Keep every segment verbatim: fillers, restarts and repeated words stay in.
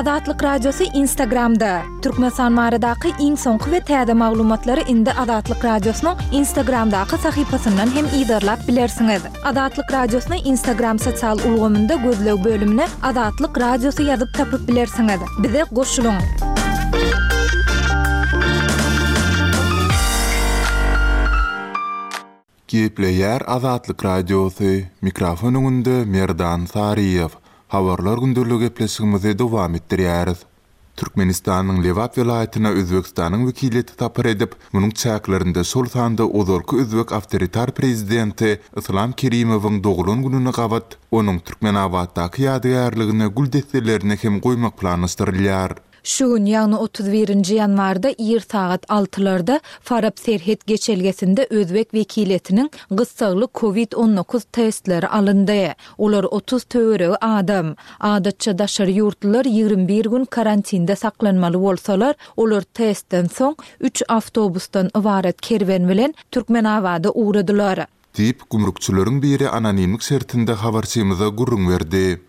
Azatlyk Radiosy Instagramda. Türkmenistan baradaky iň soňky we täze maglumatlary indi Azatlyk Radiosynyň Instagramdaky sahypasyndan hem yzarlap bilersiňiz. Azatlyk Radiosyny Instagram sosial ulgamynda gözleg bölümine Azatlyk Radiosy ýazyp tapyp bilersiňiz. Bize goşulyň! Gepleýär Azatlyk Radiosy, mikrofon öňünde Merdan Saryýew. Habarlar gündeligi gepleşigimizi dowam etdirýäris. Türkmenistanyň Lebap welaýatyna Özbegistanyň wekiliýeti sapar edip, munuň çäklerinde şol sanda ozalky özbek awtoritar prezidenti Yslam Kerimowyň doglan gününe gabat onuň Türkmenabatdaky ýadygärligine gül desselerini hem goýmak planlaşdyrylýar. Şu gün, ýagny otuz birinji ýanwarda ir sagat altylarda Farap serhet geçelgesinde özbek wekiliýetiniň gyssagly kowid on dokuz testleri alyndy. Olar otuz töweregi adam. Adatça daşary ýurtlular ýigrimi bir gün karantinde saklanmaly bolsalar, olar testden soň üç awtobusdan ybarat kerwen bilen Türkmenabada ugradylar. Diýip, gümrükçileriň biri anonimlik şertinde habarçymyza gürrüň berdi.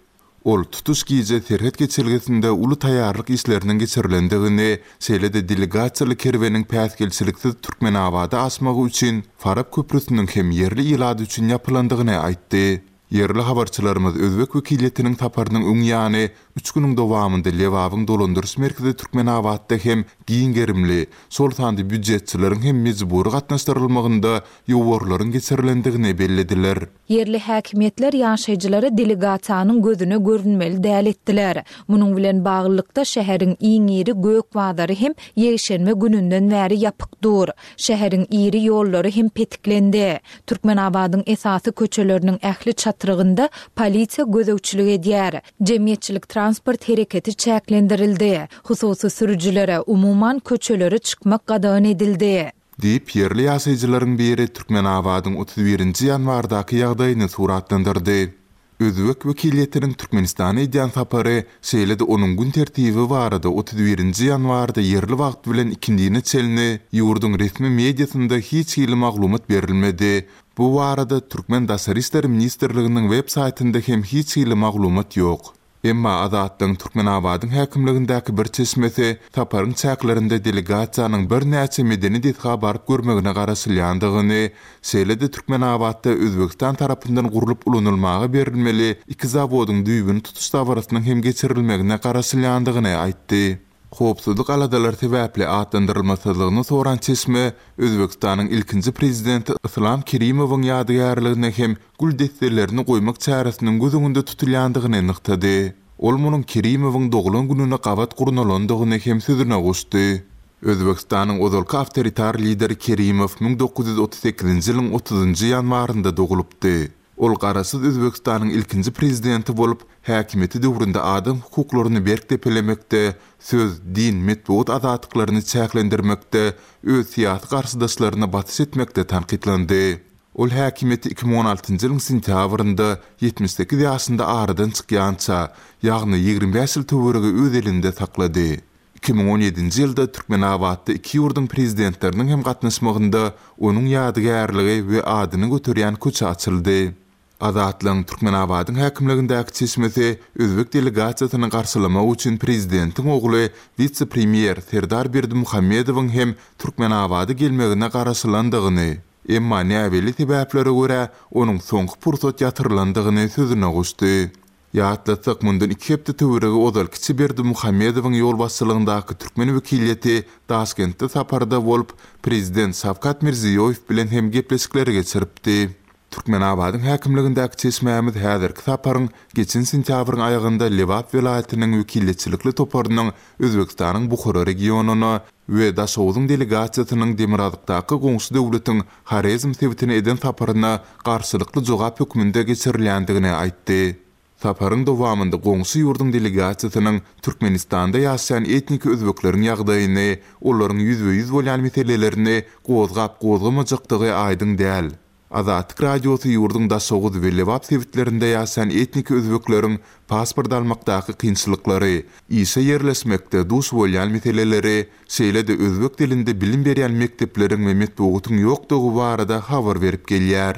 Ol tutuş gije serhet geçelgesinde uly taýýarlyk işleriniň geçirilendigini, şeýle-de delegasiýaly kerweniň päsgelçiliksiz Türkmenabada aşmagy üçin Farap köprüsiniň hem ýerli ilat üçin ýapylandygyny aýtdy. Ýerli habarçylarymyz özbek wekiliýetiniň saparynyň öň ýany üç günüň dowamynda Lebabyň dolandyryş merkezi Türkmenabatda hem giň gerimli, şol sanda býujetçileriň hem mejbury gatnaşdyrylmagynda ýowarlaryň geçirilendigini bellediler. Ýerli häkimiýetler ýaşaýjylara delegasiýanyň gözüne görünmeli däl etdiler. Munuň bilen baglylykda şäheriň iň iri gök bazary hem ýekşenbe gününden bäri ýapyk dur. Şäheriň iri ýollary hem petiklendi. Türkmenabadyň esasy köçeleriniň ähli çatrygynda polisiýa gözegçilik edýär. Jemgyýetçilik transport hereketi çäklendirildi. Hususy sürüjilere umuman köçelere çykmak gadagan edildi. Diýip, ýerli ýaşaýjylaryň biri Türkmenabadyň otuz birinji ýanwardaky ýagdaýyny suratlandyrdy. Özbek wekiliýetiniň Türkmenistana edýän sapary, şeýle-de onuň gün tertibi barada otuz birinji ýanwarda ýerli wagt bilen ikindine çenli ýurduň resmi mediasynda hiç hili maglumat berilmedi. Bu barada Türkmen Daşary işler ministrliginiň web saýtynda hem hiç hili maglumat ýok. Emma Azatlygyň Türkmenabadyň häkimligindäki bir çeşmesi saparyň çäklerinde delegasiýanyň birnäçe medeni desga baryp görmegine garaşylýandygyny, şeýle-de Türkmenabatda Özbegistan tarapyndan gurlup ulanylmaga berilmeli iki zawodyň düýbüni tutuş dabarasynyň hem geçirilmegine garaşylýandygyny aýtdy. Howpsuzlyk aladalary sebäpli atlandyrylmasyzlygyny soran çeşme Özbegistanyň ilkinji prezidenti Yslam Kerimowyň ýadygärligine hem gül desselerini goýmak çäresiniň göz öňünde tutulýandygyny nygtady. Ol munuň Kerimowyň doglan gününe gabat gurnalandygyny hem sözüne goşdy. Özbegistanyň ozalky awtoritar lideri Kerimow müň dokuz ýüz otuz sekizinji ýylyň otuzynjy ýanwarynda dogulypdy. Ol garaşsyz Özbegistanyň ilkinji prezidenti bolup, häkimiýeti döwründe adam hukuklaryny berk depelemekde, söz, din, metbugat azatlyklaryny çäklendirmekde, öz syýasy garşydaşlaryna basyş etmekde tankytlandy. Ol häkimiýeti iki müň on altynjy ýylyň sentýabrynda ýetmiş sekiz ýaşynda aradan çykýança, ýagny ýigrimi bäş ýyl töweregi öz elinde saklady. Iki müň on ýedinji ýylda Türkmenabatda iki ýurduň prezidentleriniň hem gatnaşmagynda onuň ýadygärligi we adyny göterýän köçe açyldy. Azatlygyň Türkmenabadyň häkimligindäki çeşmesi özbek delegasiýasyny garşylamak üçin prezidentiň ogly wise-premýer Serdar Berdimuhamedowyň hem Türkmenabada gelmegine garaşylandygyny, emma näbelli sebäplere görä onuň soňky pursat ýatyrylandygyny sözüne goşdy. Ýatlatsak, mundan iki hepde töweregi ozal kiçi Berdimuhamedowyň ýolbaşçylygyndaky türkmen wekiliýeti Daşkentde saparda bolup, prezident Şawkat Mirziýoýew bilen hem gepleşikleri geçiripdi. Türkmenabadyň häkimligindäki çeşmämiz häzirki saparyň geçen sentýabryň aýagynda Lebap welaýatynyň wekiliýetçilikli toparynyň Özbegistanyň Buhara regionyna we Daşogzuň delegasiýasynyň Demirgazykdaky goňşy döwletiň Horezm sebitine eden saparyna garşylykly jogap hökmünde geçirilýändigini aýtdy. Saparyň dowamynda goňşy ýurduň delegasiýasynyň Türkmenistanda ýaşaýan etniki özbekleriň ýagdaýyny, olaryň ýüzbe-ýüz bolýan meselelerini gozgap-gozgamajakdygy aýdyň däl. Azatlyk Radiosy ýurduň Daşoguz we Lebap sebitlerinde ýaşaýan etniki özbekleriň pasport almakdaky kynçylyklary, işe ýerleşmekde duş bolýan meseleleri, şeýle-de özbek dilinde bilim berýän mekdepleriň we metbugatyň ýokdugy barada habar berip gelýär.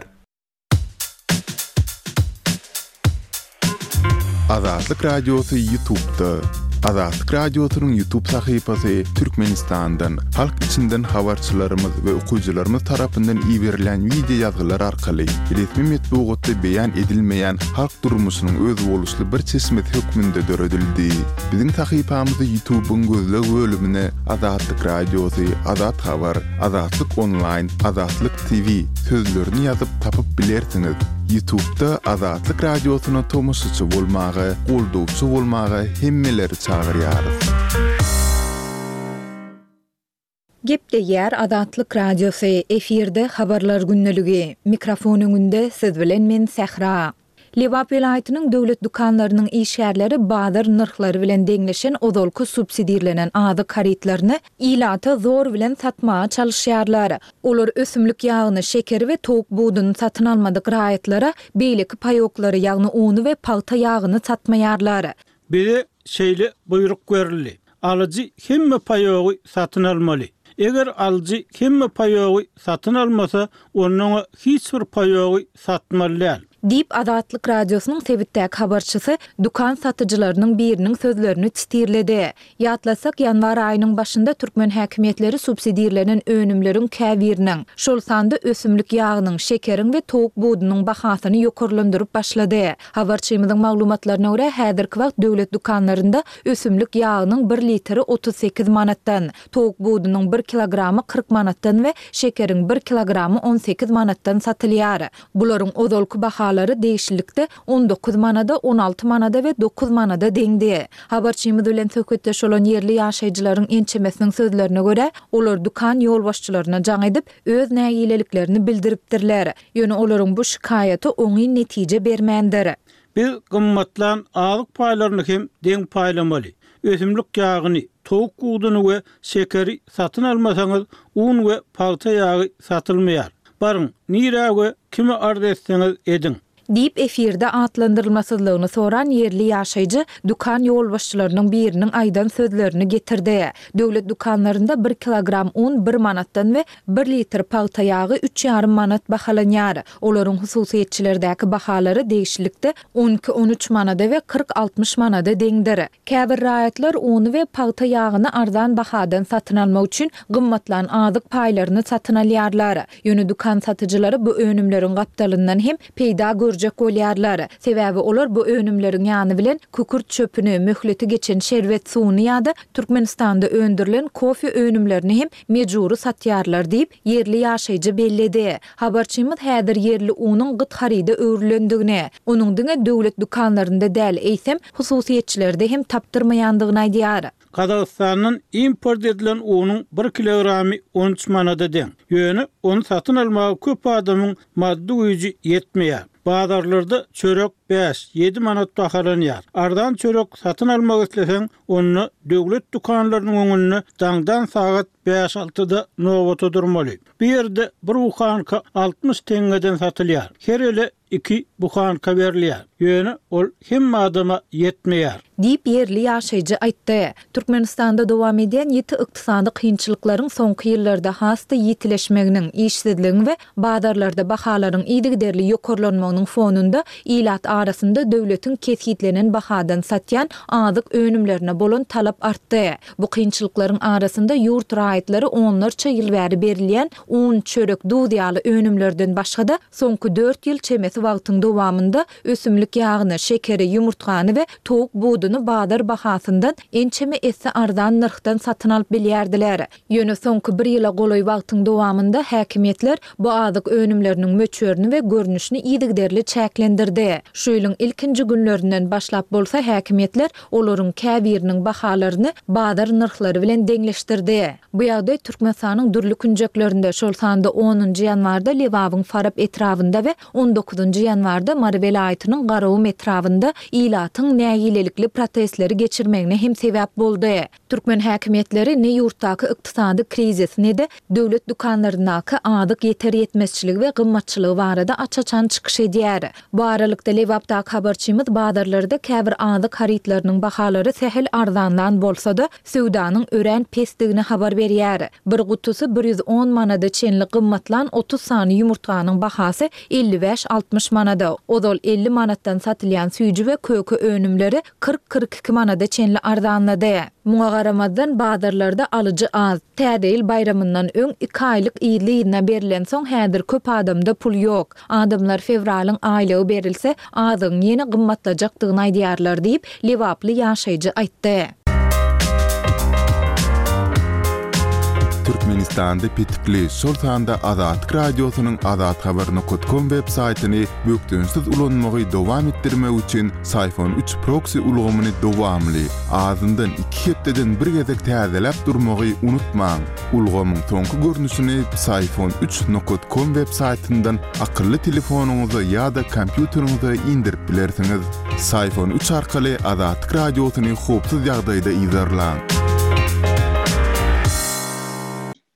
Azatlyk Radiosy YouTube'da. Azatlyk Radiosynyň YouTube sahypasy Türkmenistandan, halk içinden habarçylarymyz we okyjylarymyz tarapyndan iberilen wideo ýazgylar arkaly resmi metbugatda beýan edilmeýän halk durmuşynyň özboluşly bir çeşmesi hökmünde döredildi. Biziň sahypamyzy YouTube'yň gözleg bölümine Azatlyk Radiosy, Azat Habar, Azatlyk Onlaýn, Azatlyk T V sözlerini ýazyp tapyp bilersiňiz. YouTube'da Azatlyk Radiosyna tomaşaçy bolmaga, goldawçy bolmaga hemmeleri çagyrýarys. Gepleýär Azatlyk Radiosy, efirde habarlar gündeligi. Mikrofon öňünde siz bilen men Sähra. Lebap welaýatynyň döwlet dükanlarynyň işgärleri bazar nyrhlary bilen deňleşen ozalky subsidirlenen azyk harytlaryny ilata zor bilen satmaga çalışýarlar. Olar ösümlik ýagyny, şekeri we towuk buduny satyn almadyk raýatlara beýleki paýoklary, ýagny uny we pagta ýagyny satmaýarlar. Bize şeýle buýruk berildi. Alyjy hemme paýogy satyn almaly. Eger alyjy hemme paýogy satyn almasa, ondan hiç bir paýogy satmaly däl. Diýip Azatlyk Radiosynyň sebitdäki habarçysy dükan satyjylarynyň biriniň sözlerini titirledi. Ýatlasak, ýanwar aýynyň başynda türkmen häkimiýetleri subsidirlenen önümleriň käbiriniň, şol sanda ösümlik ýagynyň, şekeriň we towuk budunyň bahasyny ýokarlandyryp başlady. Habarçymyzyň maglumatlaryna görä, häzirki wagt döwlet dükanlarynda ösümlik ýagynyň bir litri otuz sekiz manatdan, towuk budunyň bir kilogramy kyrk manatdan we şekeriň bir kilogramy on sekiz manatdan satylýar. Bularyň ozalky bahalary degişlilikde on dokuz manada, on alty manada we dokuz manada deňdi. Habarçymyz bilen söhbetdeş bolan ýerli ýaşaýjylaryň ençemesiniň sözlerine görä, olar dükan ýolbaşçylaryna jaň edip, öz nägileliklerini bildiripdirler. Ýöne olaryň bu şikaýaty oňyn netije bermändir. Biz gymmatlan azyk paýlaryny hem deň paýlamaly. Ösümlik ýagyny, towuk buduny we şekeri satyn almasaňyz, un we pagta ýagy satylmaýar. Baryň, nirä we kime arz etseňiz ediň. Diýip efirde atlandyrylmasyzlygyny soran ýerli ýaşaýjy dükan ýolbaşçylarynyň biriniň aýdan sözlerini getirdi. Döwlet dükanlarynda bir kilogram un bir manatdan we bir litr pagta ýagy üç ýarym manat bahalanýar. Olaryň hususyýetçilerdäki bahalary degişlilikde on iki on üç manada we kyrk altmyş manada deňdir. Käbir raýatlar uny we pagta ýagyny arzan bahadan satyn almak üçin gymmatlan azyk paýlaryny satyn alýarlar. Ýöne dükan satyjylary bu önümleriň gapdalyndan hem peýda görjek bolýarlar. Sebäbi olar bu önümleriň ýany bilen kükürt çöpüni, möhleti geçen şerbet suwuny ýa-da Türkmenistanda öndürilen kofe önümlerini hem mejbury satýarlar diýip ýerli ýaşaýjy belledi. Habarçymyz häzir ýerli unuň gyt haryda öwrülendigini, onuň diňe döwlet dükanlarynda däl, eýsem hususyýetçilerde hem tapdyrmaýandygyny aýdýar. Gazagystandan import edilen unuň bir kilogramy on üç manada deň. Ýöne ony satyn almaga köp adamyň maddy güýji ýetmeýär. Bazarlarda çörek bäş, ýedi manat bahalanýar. Arzan çörek satyn almak isleseň, onda döwlet dükanlarynyň öňünde daňdan sagat bäş altyda nobata durmaly. Bu ýerde bir buhanka altmyş teňňeden satylýar. Her ele iki buhanka berilýär. Ýöne ol hemme adama ýetmeýär. Diýip ýerli ýaşaýjy aýtdy. Türkmenistanda dowam edýän ýiti ykdysady kynçylyklaryň soňky ýyllarda has-da ýitileşmeginiň, işsizligiň we bazarlarda bahalaryň yzygiderli ýokarlanmagynyň fonunda ilat arasynda döwletiň kesgitlenen bahadan satýan azyk önümlerine bolan talap artdy. Bu kynçylyklaryň arasynda ýurt raýatlary onlarça ýyl bäri berilýän un, çörek, duz ýaly önümlerden başga-da soňky dört ýyl çemesi wagtyň dowamynda ösümlik ýagyny, şekeri, ýumurtgany we towuk buduny bazar bahasyndan ençeme esse arzan nyrhdan satyn alyp bilýärdiler. Ýöne soňky bir ýyla golaý wagtyň dowamynda häkimiýetler bu azyk önümleriniň möçberini we görnüşini yzygiderli çäklendirdi. Şu ýylyň ilkinji günlerinden başlap bolsa häkimiýetler olaryň käbiriniň bahalaryny bazar nyrhlary bilen deňleşdirdi. Bu ýagdaý Türkmenistanyň dürli künjeklerinde, şol sanda onunjy ýanwarda Lebabyň Farap etrabynda we on dokuzynjy ýanwarda Mary welaýatynyň Garagum etrabynda ilatyň nägilelikli protestleri geçirmegine hem sebäp boldy. Türkmen häkimiýetleri ne ýurtdaky ykdysady krizis, ne-de döwlet dükanlaryndaky azyk ýeter ýetmezçiligi we gymmatçylygy barada aç-açan çykyş edýär. Bu aralykda Lebapdaky habarçymyz bazarlarda käbir azyk harytlarynyň bahalary sähel arzanlandygyny arzan bolsa-da, söwdanyň örän pesdigini habar berýär. Bir gutusy bir ýüz on manada çenli gymmatlan otuz sany ýumurtganyň bahasy elli bäş-altmyş manada, ozal elli manatdan satylýan süýji we köke önümleri kyrk-kyrk iki manada çenli arzanlady. Muňa garamazdan bazarlarda alyjy az. Täze ýyl baýramyndan öň iki aýlyk yzly-yzyna berilensoň häzir köp adamda pul ýok. Adamlar fewralyň aýlygy berilse, azygyň ýene gymmatlajakdygyny aýdýarlar diýip, lebaply ýaşaýjy aýtdy. Türkmenistanda petikli, şol sanda Azatlyk Radiosynyň azathabar nokta com web saýtyny bökdençsiz ulanmagy dowam etdirmek üçin Syfon üç proxy ulgamyny dowamly, azyndan iki hepdeden bir gezek täzeläp durmagy unutmaň. Ulgamyň soňky görnüşini Syfon üç nokta com web saýtyndan akylly telefonyňyza ýa-da kompýuteriňize indirip bilersiňiz. Syfon üç arkaly Azatlyk Radiosyny howpsuz ýagdaýda yzarlaň.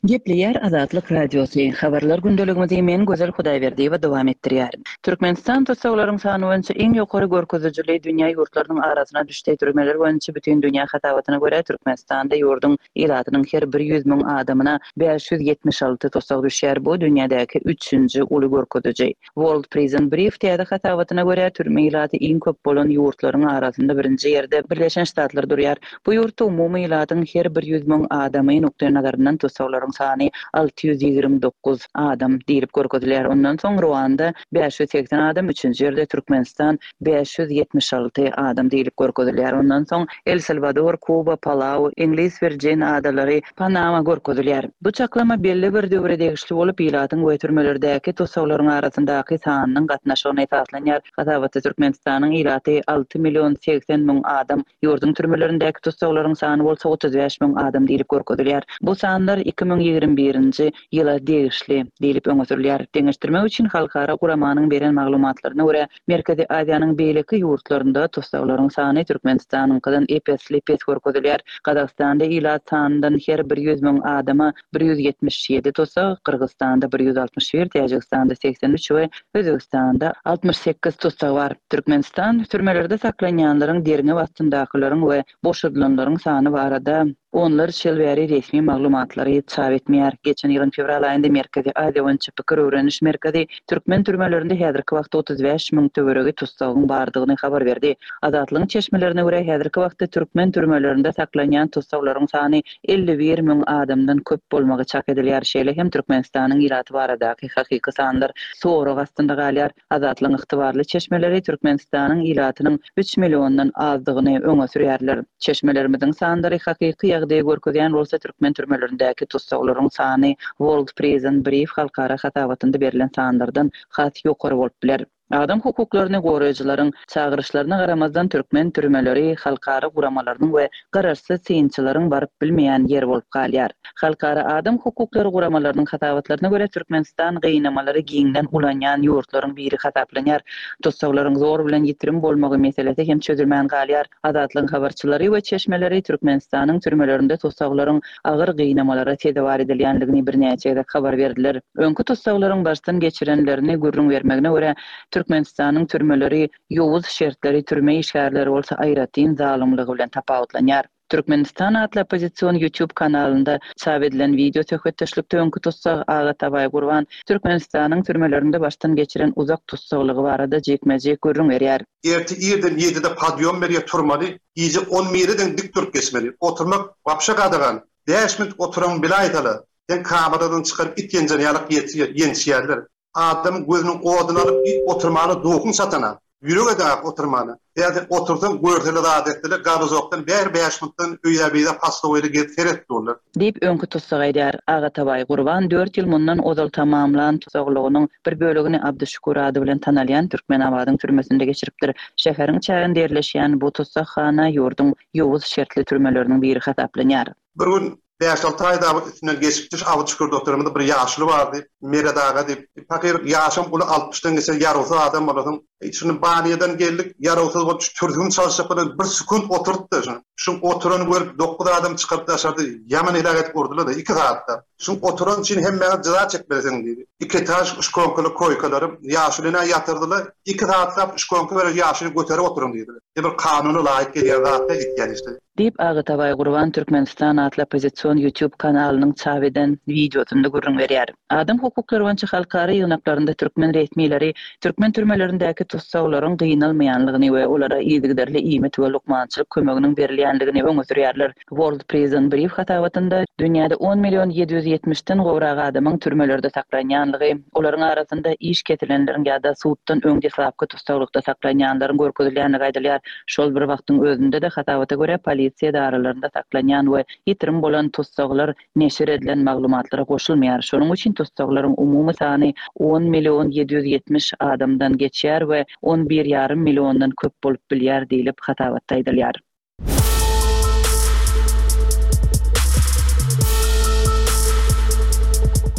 Gepleýär Azatlyk Radiosy. Habarlar gündeligimizi men Gözel Hudaýberdiýewa dowam etdirýär. Türkmenistan tussaglaryň sany boýunça iň ýokary görkezijili dünýä ýurtlarynyň arasyna düşdi. Türmeler boýunça bütün dünýä hasabatyna görä Türkmenistanda ýurduň ilatynyň her bir ýüz müň adamyna bäş ýüz ýetmiş alty tussag düşýär. Bu dünýädäki üçünji uly görkeziji. World Prison Brief täze hasabatyna görä türme ilaty iň köp bolan ýurtlaryň arasynda birinji ýerde Birleşen Ştatlar durýar. Bu ýurtda umumy ilatyň her bir ýüz müň adamy nukdaý nazaryndan tussaglaryň sany alty ýüz ýigrimi dokuz adam diýlip görkezilýär. Ondan soň Ruanda bäş ýüz seksen adam, üçünji ýerde Türkmenistan bäş ýüz ýetmiş alty adam diýlip görkezilýär. Ondan soň El Salvador, Kuba, Palau, Iňlis Virgin adalary, Panama görkezilýär. Bu çaklama belli bir döwre degişli bolup, ilatyň we türmelerdäki tussaglaryň arasyndaky sanynyň gatnaşygyna esaslanýar. Hasabatda Türkmenistanyň ilaty alty million seksen müň adam, ýurduň türmelerindäki tussaglaryň sany bolsa otuz bäş müň adam diýlip görkezilýär. Bu sanlar iki müň ýigrimi birinji ýyla degişli diýlip öňe sürülýär. Deňeşdirmek üçin halkara guramanyň beren maglumatlaryna görä Merkezi Aziýanyň beýleki ýurtlarynda tussaglaryň sany Türkmenistanyňkydan ep-esli pes görkezilýär. Gazagystanda ilat sanyndan her bir ýüz müň adama bir ýüz ýetmiş ýedi tussag, Gyrgyzystanda bir ýüz altmyş bir, Täjigistanda seksen üç we Özbegistanda altmyş sekiz tussag bar. Türkmenistan türmelerde saklanýanlaryň derňew astyndakylaryň we boşadylanlaryň sany barada onlarça ýyl bäri resmi maglumatlary çap etmeýär. Geçen ýylyň fewral aýynda Merkezi Aziýa boýunça pikir öwreniş merkezi türkmen türmelerinde häzirki wagtda otuz bäş müň töweregi tussagyň bardygyny habar berdi. Azatlygyň çeşmelerine görä häzirki wagtda türkmen türmelerinde saklanýan tussaglaryň sany elli bir müň adamdan köp bolmagy çak edilýär. Şeýle hem Türkmenistanyň ilaty baradaky hakyky sanlar sorag astynda galýar. Azatlygyň ygtybarly çeşmeleri Türkmenistanyň ilatynyň üç milliondan azdygyny öňe sürýärler. Çeşmelerimiziň sanlary hakyky ýagdaýy görkezýän bolsa türkmen türmelerindäki tussaglaryň sany World Prison Brief halkara hasabatynda berlen sanlardan has ýokary bolup biler. Adam hukuklaryny goraýjylaryň çagyryşlaryna garamazdan türkmen türmeleri halkara guramalarynyň we garaşsyz synçylaryň baryp bilmeýän ýeri bolup galýar. Halkara adam hukuklary guramalarynyň hasabatlaryna görä Türkmenistan gynamalary giňden ulanýan ýurtlaryň biri hasaplanýar. Tussaglaryň zor bilen ýitirim bolmagy meselesi hem çözülmän galýar. Azatlygyň habarçylary we çeşmeleri Türkmenistanyň türmelerinde tussaglaryň agyr gynamalara sezewar edilýändigini birnäçe gezek habar berdiler. Öňki tussaglaryň başdan geçirenlerini gürrüň bermegine görä Türkmenistanyň türmeleri ýowuz şertleri türme işgärleri bolsa aýratyn zalymlygy bilen tapawutlanýar. Türkmenistan atly oppozision YouTube kanalynda çap edilen video söhbetdeşlikde öňki tussag Aga Tabaý Gurban Türkmenistanyň türmelerinde başdan geçiren uzak tussaglygy barada jikme-jik gürrüň berýär. Erti irden ýedide padýom berýär turmaly, gije on birden dik durup geçmeli. Oturmak wapşa gadagan. Bäş minut oturan bile aýdaly. Sen kameradan çykaryp it ýenjen ýalyk ýençýärler. Adam gözüniň oduny alyp it oturmany duhun satana. Ýürege däp oturmany. Ýa-da otursaň görsele zat etdiler, gabuzokdan bär bäş minutdan öýe beýle pastowyly gelip seret durlar. Diýip öňki tussag aýdar. Aga Tabaý Gurban dört ýyl mundan ozal tamamlan tussaglygynyň bir bölegini Abduşukur ady bilen tanalýan Türkmenabadyň türmesinde geçiripdir. Şäheriň çäginde ýerleşýän bu tussaghana ýurduň ýowuz şertli türmeleriniň biri hasaplanýar. Bir gün bäş alty aý dagy üstünden geçip düş Abduşukur doktorymyzda bir ýaşly bardy, Meret aga diýip. Pakyr ýaşam uly altmyşdan geçen ýarowsyz adam bolasyň. Şunu baniýadan geldik, ýarowsyz bolup şu türgün çalyşyp bilen bir sekund oturtdy şunu. Şu oturan görüp dokuz adam çykaryp daşardy, ýaman heläk edip urdular da iki saatda. Şu oturan üçin hemmäňiz jeza çekmelisin diýdi. Iki taş şkonkaly koýkalary ýaşlyna ýatyrdylar. Iki saatlap şkonka berip ýaşlyny göterip oturuň diýdiler. Bir kanuna laýyk gelýän zatda gitýän işte. Diýip, Agatabaý Gurban Türkmenistan atly oppozision YouTube kanalynyň çap eden wideosynda gürrüň berýär. Adam hukuklary boýunça halkara ýygnaklarynda türkmen resmileri türkmen türmelerindäki tussaglaryň gynalmaýanlygyny we olara yzygiderli iýmit we lukmançylyk kömeginiň berilýänligini öňe sürýärler. World Prison Brief hasabatynda dünýäde on million ýedi ýüz ýetmişden gowrak adamyň türmelerde saklanýanlygy, olaryň arasynda iş kesilenleriň ýa-da suddan öň deslapky tussaglykda saklanýanlaryň görkezilýändigi aýdylýar. Şol bir wagtyň özünde-de hasabata görä polisiýa edaralarynda saklanýan we ýitirim bolan tussaglar neşir edilen maglumatlara goşulmaýar. Şonuň üçin tussaglaryň umumy sany on million ýedi ýüz ýetmiş adamdan geçýär we on bir ýarym milliondan köp bolup bilýär diýlip hasabatda aýdylýar.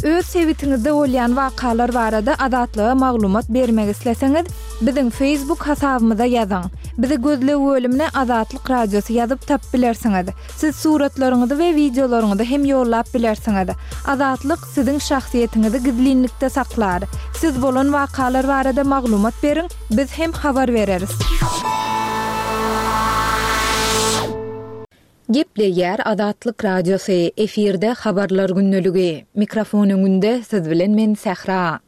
Öz sebitiňizde bolýan wakalar barada Azatlyga maglumat bermek isleseňiz, biziň Facebook hasabymyza ýazyň. Bizi gözleg bölümine Azatlyk Radiosy ýazyp tap bilersiňiz. Siz suratlaryňyzy we wideolaryňyzy hem ýollap bilersiňiz. Azatlyk siziň şahsyýetiňizi gizlinlikde saklar. Siz bolan wakalar barada maglumat beriň, biz hem habar bereris. Gepleýär Azatlyk Radiosy, efirde habarlar gündeligi. Mikrofon öňünde siz bilen men Sähra.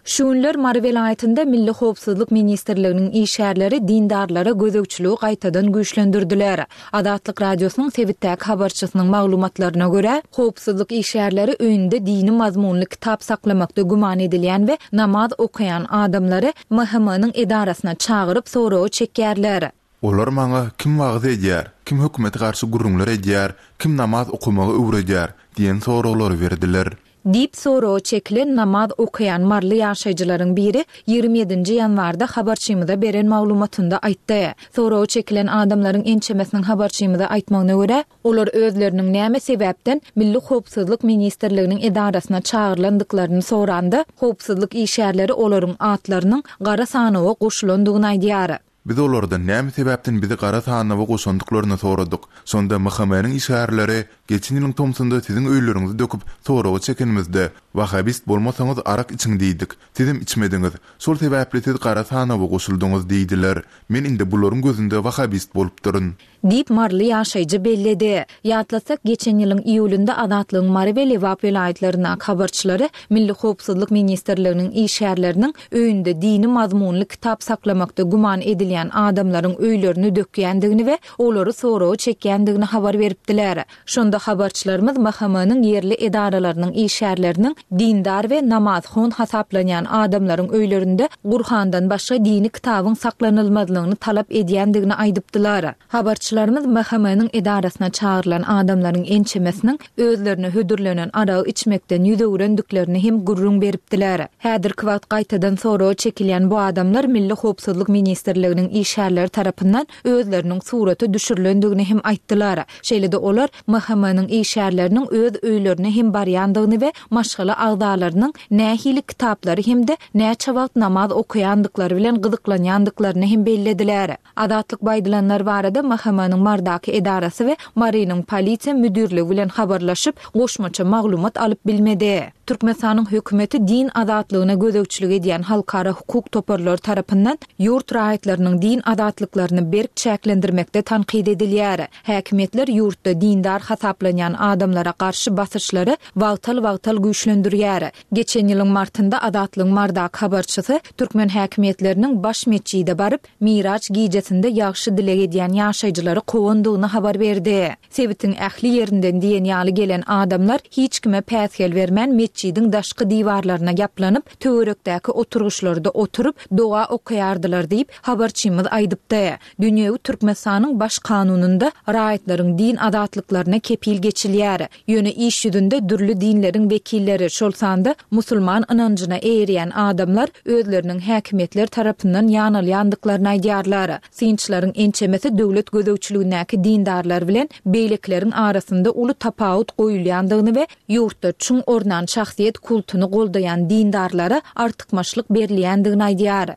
Şu günler Mary welaýatynda Milli Howpsuzlyk Ministrliginiň işgärleri dindarlara gözegçiligi gaýtadan güýçlendirdiler. Azatlyk Radiosynyň sebitdäki habarçysynyň maglumatlaryna görä, howpsuzlyk işgärleri öýünde dini mazmunly kitap saklamakda güman edilýän we namaz okaýan adamlary M H M-niň edarasyna çagyryp soragy çekýärler. Olar maňa kim wagyz edýär, kim hökümete garşy gürrüňler edýär, kim namaz okamagy öwredýär diýen soraglary berdiler. Diýip soragy çekilen namaz okaýan marly ýaşaýjylaryň biri ýigrimi ýedinji ýanwarda habarçymyza beren maglumatynda aýtdy. Soragy çekilen adamlaryň ençemesiniň habarçymyza aýtmagyna görä, olar özleriniň näme sebäpden Milli Howpsuzlyk Ministrliginiň edarasyna çagyrylandyklaryny soranda, howpsuzlyk işgärleri olaryň atlarynyň gara sanawa goşulandygyny aýdýar. Biz olardan näme sebäpden bizi gara sanawa goşandyklaryny soradyk. Şonda M H M-niň işgärleri geçen ýylyň tomsunda siziň öýleriňizi döküp soragy çekenimizde, Wahabist bolmasaňyz arak içiň diýdik. Sizem içmediňiz. Şol sebäpli siz gara sanawa goşuldyňyz diýdiler. Men indi bularyň gözünde wahabist bolupdyryn. Diýip marly ýaşaýjy belledi. Ýatlasak, geçen ýylyň iýulynda Azatlygyň Mary we Lebap welaýatlarynyň habarçylary Milli Howpsuzlyk Ministrliginiň işgärleriniň öýünde dini mazmunly kitap saklamakda güman edilýän adamlaryň öýlerini dökýändigini we olary soragy çekýändigini habar beripdiler. Şonda habarçylarymyz M H M-niň ýerli edaralarynyň işgärleriniň dindar we namazhon hasaplanýan adamlaryň öýlerinde Gurhandan başga dini kitabyň saklanylmazlygyny talap edýändigini aýdypdylar. Habarçylarymyz M H M-niň edarasyna çagyrylan adamlaryň ençemesiniň özlerine hödürlenen aragy içmekden ýüz öwrendiklerini hem gürrüň beripdiler. Häzirki wagt gaýtadan soragy çekilýän bu adamlar Milli Howpsuzlyk Ministrliginiň işgärleri tarapyndan özleriniň surata düşürilendigini hem aýtdylar. Şeýle-de olar M H M-niň işgärleriniň öz öýlerine hem barýandygyny we maşgala agzalarynyň nähili kitaplary hem-de näçe wagt namaz okaýandyklary bilen gyzyklanýandyklaryny hem bellediler. Azatlyk baýdylanlar barada M H M-niň Mardaky edarasy we Marynyň polisiýa müdirligi bilen habarlaşyp, goşmaça maglumat alyp bilmedi. Türkmenistanyň hökümeti din azatlygyna gözegçilik edýän halkara hukuk toparlary tarapyndan ýurt raýatlarynyň din azatlyklaryny berk çäklendirmekde tankyt edilýär. Häkimiýetler ýurtda dindar hasaplanýan adamlara garşy basyşlary wagtal-wagtal güýçlendirýär. Geçen ýylyň martynda Azatlygyň Mardak habarçysy türkmen häkimiýetleriniň baş metjide baryp, Miraç gijesinde ýagşy dileg edýän ýaşaýjylary kowandygyny habar berdi. Sebitiň ähli ýerinden diýen ýaly gelen adamlar hiç kime päsgel bermän metjidiň daşky diwarlaryna ýaplanyp, töwerekdäki oturgyçlarda oturyp, doga okaýardylar diýip habarçymyz aýdypdy. Dünýewi Türkmenistanyň baş kanunynda raýatlaryň din azatlyklaryna kepil geçilýär. Ýöne iş ýüzünde dürli dinleriň wekilleri, şol sanda musulman ynanjyna eýerýän adamlar özleriniň häkimiýetler tarapyndan ýanalýandyklaryny aýdýarlar. Synçylaryň ençemesi döwlet gözegçiligindäki dindarlar bilen beýlekileriň arasynda uly tapawut goýulýandygyny we ýurtda çuň ornan şahsyýet kultuny goldaýan dindarlara artykmaçlyk berilýändigini aýdýar.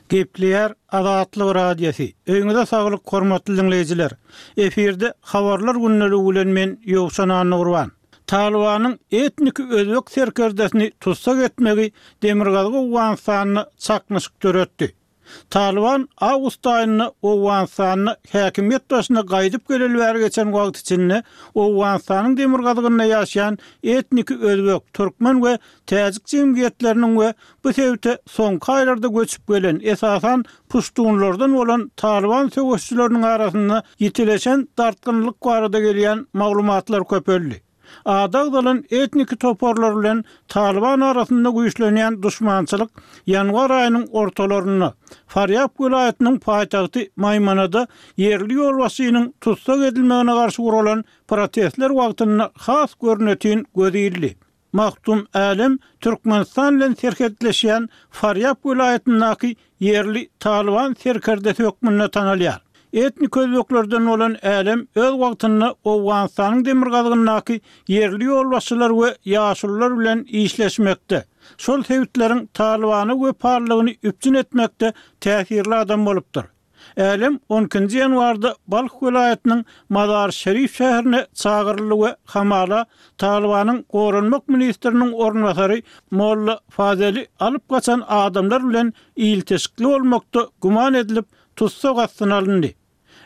Gepleýär Azatlyk Radiosy. Öýüňize saglyk hormatly dinleýjiler. Efirde habarlar gündeligi bilen men Ýowşan Annagurban. Talibanyň etnik özbek serkerdesini tutsak etmegi Demirgazyk Owganystanda çaknyşyk döretdi. Talyban awgust aýynda Owganystanda häkimiýet başyna gaýdyp geleli bäri geçen wagt içinde Owganystanyň demirgazygynda ýaşaýan etniki özbek, türkmen we täjik jemgyýetleriniň we bu sebite soňky aýlarda göçüp gelen, esasan puştunlardan bolan Talyban söweşçileriniň arasynda ýitileşen dartgynlyk barada gelýän maglumatlar köpeldi. Ady agzalan etniki toparlar bilen Talyban arasynda güýçlenýän duşmançylyk ýanwar aýynyň ortalarynda Farýab welaýatynyň paýtagty Maýmanada ýerli ýolbaşçynyň tussag edilmegine garşy guralan protestler wagtynda has görnetin göz ildi. Mahtum Älem Türkmenistan bilen serhetleşýän Farýab welaýatyndaky ýerli Talyban serkerdesi hökmünde tanalýar. Etnik özbeklerden bolan Älem öz wagtynda Owganystanyň demirgazygyndaky ýerli ýolbaşçylar we ýaşulular bilen işleşmekde, şol sebitleriň Talybana wepalylygyny üpjün etmekde täsirli adam bolupdyr. Älem on ikinji ýanwarda Balh welaýatynyň Mazar-Şerif şäherine çagyryldy we hamala Talybanyň goranmak ministriniň orunbasary Molla Fazeli alyp gaçan adamlar bilen ilteşikli bolmakda güman edilip, tussag astyna alyndy.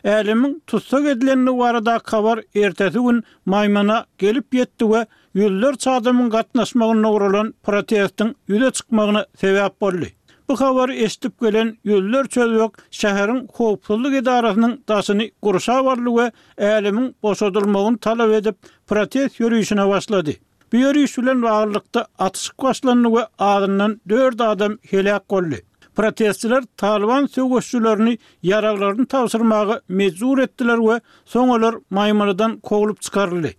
Älemiň tussag edilendigi baradaky habar ertesi gün Maýmana gelip ýetdi we ýüzlerçe adamyň gatnaşmagynda guralan protestiň ýüze çykmagyna sebäp boldy. Bu habary eşidip gelen ýüzlerçe özbek şäheriň howpsuzlyk edarasynyň daşyny gurşap aldy we älemiň boşadylmagyny talap edip, protest ýörişine başlady. Bu ýöriş bilen baglylykda atyşyk başlandy we azyndan dört adam heläk boldy. Protestçiler Talyban söweşçilerini ýaraglaryny tabşyrmaga mejbur etdiler we soň olar Maýmanadan kowlup çykaryldy.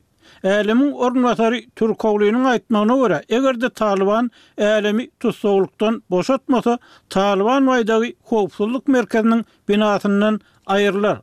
Älemiň orunbasary Türkoglynyň aýtmagyna görä, eger-de Talyban älemi tussaglykdan boşatmasa, Talyban baýdagy howpsuzlyk merkeziniň binasyndan aýrylar.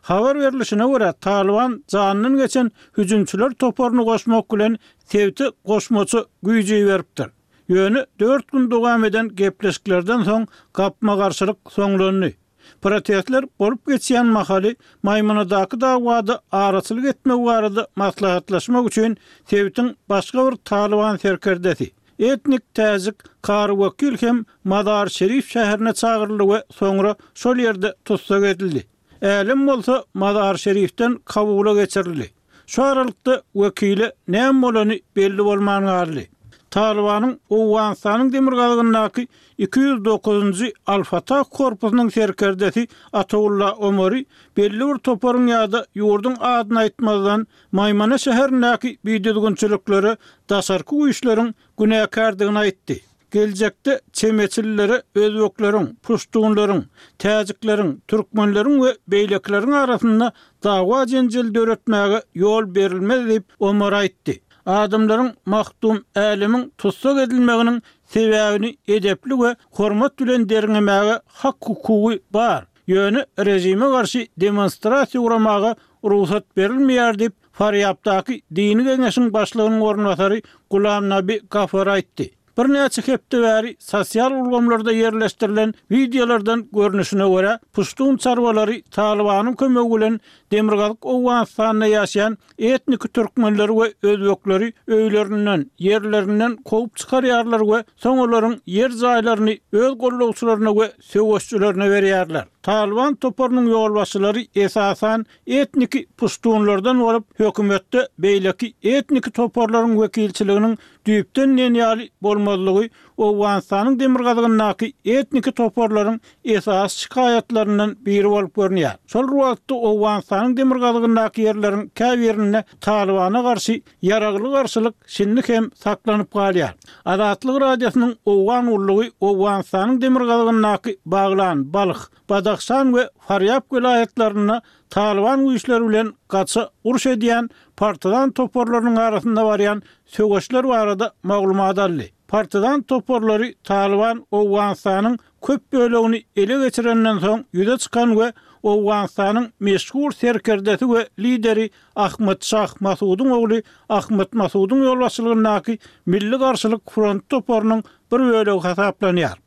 Habar berlişine görä, Talyban janyndan geçen hüjümçiler toparyny goşmak bilen sebite goşmaça güýji beripdir. Ýöne dört gün dowam eden gepleşiklerden soň gapma-garşylyk soňlandy. Protestler bolup geçýän mahaly Maýmanadaky dawada araçylyk etmek barada maslahatlaşmak üçin sebitiň başga bir Talyban serkerdesi, etnik täjik Kary Wekil hem Mazar-Şerif şäherine çagyryldy we soňra şol ýerde tussag edildi. Älem bolsa Mazar-Şerifden Kabula geçirildi. Şu aralykda wekile näme bolany belli bolman galdy. Talybanyň Owganystanyň demirgazygyndaky iki ýüz dokuzynjy Al-Fatah korpusynyň serkerdesi Ataulla Omary belli bir toparyň ýa-da ýurduň adyny aýtmazdan Maýmana şäherindäki bidüzgünçiliklere daşarky güýçleriň günäkärdigini aýtdy. Geljekde çemeçililere özbekleriň, puştunlaryň, täjikleriň, türkmenleriň we beýlekileriň arasynda dawa jenjel döretmäge ýol berilmez diýip Omar aýtdy. Adamlaryň Mahtum Älemiň tussag edilmeginiň sebäbini edepli we hormat bilen derňemäge hak hukugy bar. Ýöne rejime garşy demonstrasiýa guramaga rugsat berilmeýär diýip Farýabdaky dini geňeşiň başlygynyň orunbasary Gulam Nabi Gafar aýtdy. Birnäçe hepde bäri sosial ulgamlarda ýerleşdirilen wideolardan görnüşine görä, puştun çarwalary Talybanyň kömegi bilen Demirgazyk Owganystanda ýaşaýan etnik türkmenleri we özbekleri öýlerinden, ýerlerinden kowup çykarýarlar we soň olaryň ýer jaýlaryny öz gollagçylaryna we söweşçilerine berýärler. Talyban toparynyň ýolbaşçylary esasan etnik puştunlardan bolup, hökümetde beýleki etnik toparlaryň wekilçiliginiň düýpden diýen ýaly bolmazlygy Owganystanyň demirgazygyndaky etnik toparlaryň esasy şikaýatlaryndan biri bolup görünýär. Şol wagtda Owganystanyň demirgazygyndaky ýerleriň käbirinde Talybana garşy ýaragly garşylyk şindi hem saklanyp galýar. Azatlyk Radiosynyň Owgan gullugy Owganystanyň demirgazygyndaky Baglan, Balh, Badahşan we Farýab welaýatlarynda Talyban güýçleri bilen gaça uruş edýän partizan toparlarynyň arasynda barýan söweşler barada maglumat aldy. Partizan toparlary Talyban Owganystanyň köp bölegini ele geçirenden soň ýüze çykan we Owganystanyň meşhur serkerdesi we lideri Ahmet Şah Masudyň ogly Ahmet Masudyň ýolbaşçylygyndaky Milli Garşylyk Front toparynyň bir bölegi hasaplanýar.